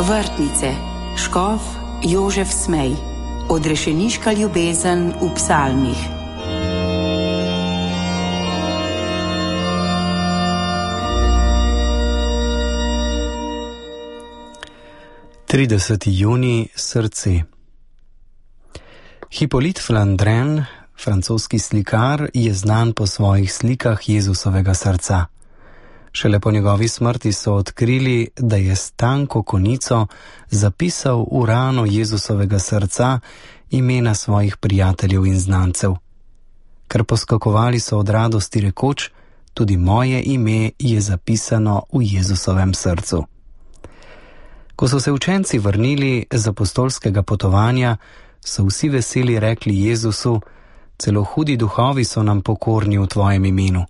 Vrtnice, škof Jožef Smej, odrešeniška ljubezen v psalmih. Junij, srce. Hippolyte Flandrin, francoski slikar, je znan po svojih slikah Jezusovega srca. Šele po njegovi smrti so odkrili, da je s tanko konico zapisal v rano Jezusovega srca imena svojih prijateljev in znancev. Ker poskakovali so od radosti rekoč, tudi moje ime je zapisano v Jezusovem srcu. Ko so se učenci vrnili z apostolskega potovanja, so vsi veseli rekli Jezusu, celo hudi duhovi so nam pokorni v tvojem imenu.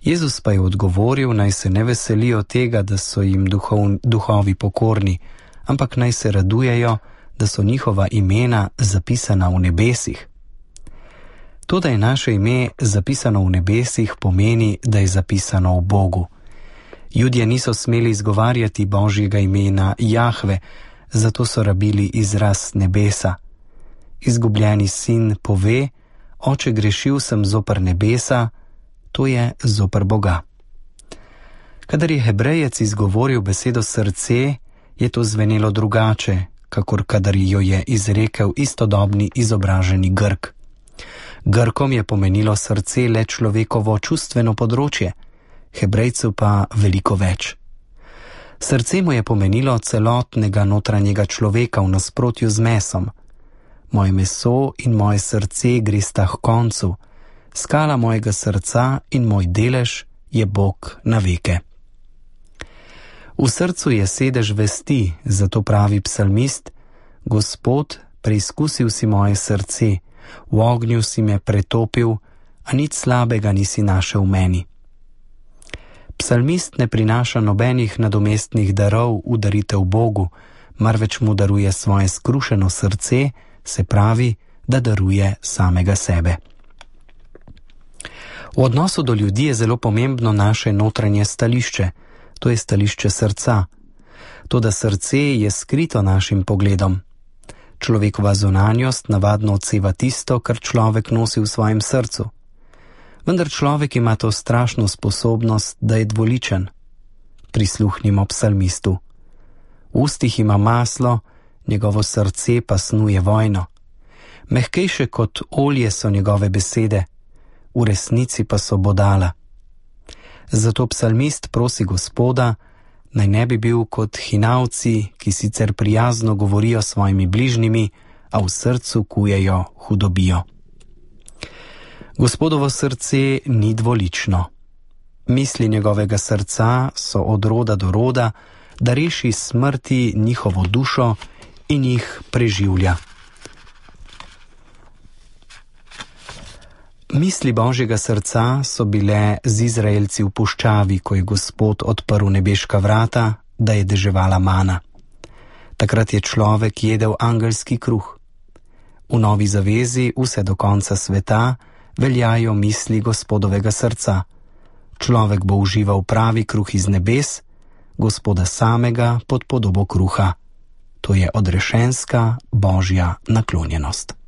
Jezus pa je odgovoril, naj se ne veselijo tega, da so jim duhovi pokorni, ampak naj se radujejo, da so njihova imena zapisana v nebesih. To, da je naše ime zapisano v nebesih, pomeni, da je zapisano v Bogu. Judje niso smeli izgovarjati Božjega imena Jahve, zato so rabili izraz nebesa. Izgubljeni sin pove, oče, grešil sem zoper nebesa, to je zoper Boga. Kadar je Hebrejec izgovoril besedo srce, je to zvenelo drugače, kakor kadar jo je izrekel istodobni izobraženi Grk. Grkom je pomenilo srce le človekovo čustveno področje, Hebrejcu pa veliko več. Srce mu je pomenilo celotnega notranjega človeka v nasprotju z mesom. Moje meso in moje srce gresta h koncu, skala mojega srca in moj delež je Bog na veke. V srcu je sedež vesti, zato pravi psalmist, Gospod, preizkusil si moje srce, v ognju si me pretopil, a nič slabega nisi našel v meni. Psalmist ne prinaša nobenih nadomestnih darov v daritev Bogu, marveč mu daruje svoje skrušeno srce, se pravi, da daruje samega sebe. V odnosu do ljudi je zelo pomembno naše notranje stališče, to je stališče srca. Toda srce je skrito našim pogledom. Človekova zunanjost navadno odseva tisto, kar človek nosi v svojem srcu. Vendar človek ima to strašno sposobnost, da je dvoličen. Prisluhnimo psalmistu. V ustih ima maslo, njegovo srce pa snuje vojno. Mehkejše kot olje so njegove besede, v resnici pa so bodala. Zato psalmist prosi Gospoda, naj ne bi bil kot hinavci, ki sicer prijazno govorijo s svojimi bližnjimi, a v srcu kujejo hudobijo. Gospodovo srce ni dvolično. Misli njegovega srca so od roda do roda, da reši smrti njihovo dušo in jih preživlja. Misli Božjega srca so bile z Izraelci v puščavi, ko je Gospod odprl nebeška vrata, da je deževala mana. Takrat je človek jedel angelski kruh. V novi zavezi vse do konca sveta veljajo misli Gospodovega srca. Človek bo užival pravi kruh iz nebes, Gospoda samega pod podobo kruha. To je odrešenska Božja naklonjenost.